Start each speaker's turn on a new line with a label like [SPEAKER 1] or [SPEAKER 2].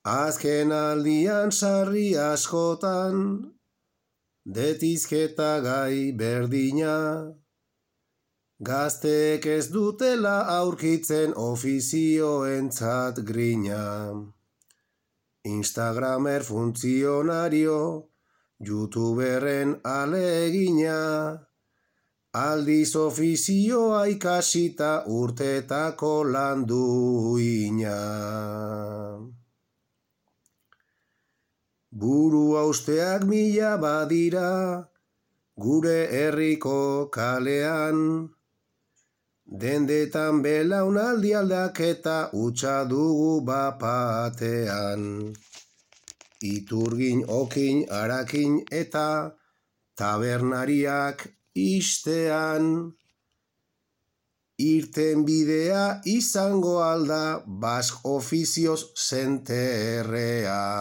[SPEAKER 1] Azken aldian sarri askotan, detizketa gai berdina, gazteek ez dutela aurkitzen ofizioentzat grina. Instagramer funtzionario, youtuberren alegina, aldiz ofizioa ikasita urtetako landuina. Buru hausteak mila badira, gure herriko kalean, dendetan belaunaldi aldaketa utxa dugu bapatean. Iturgin, okin, harakin eta tabernariak istean, irten bidea izango alda Bask ofizioz senterrean.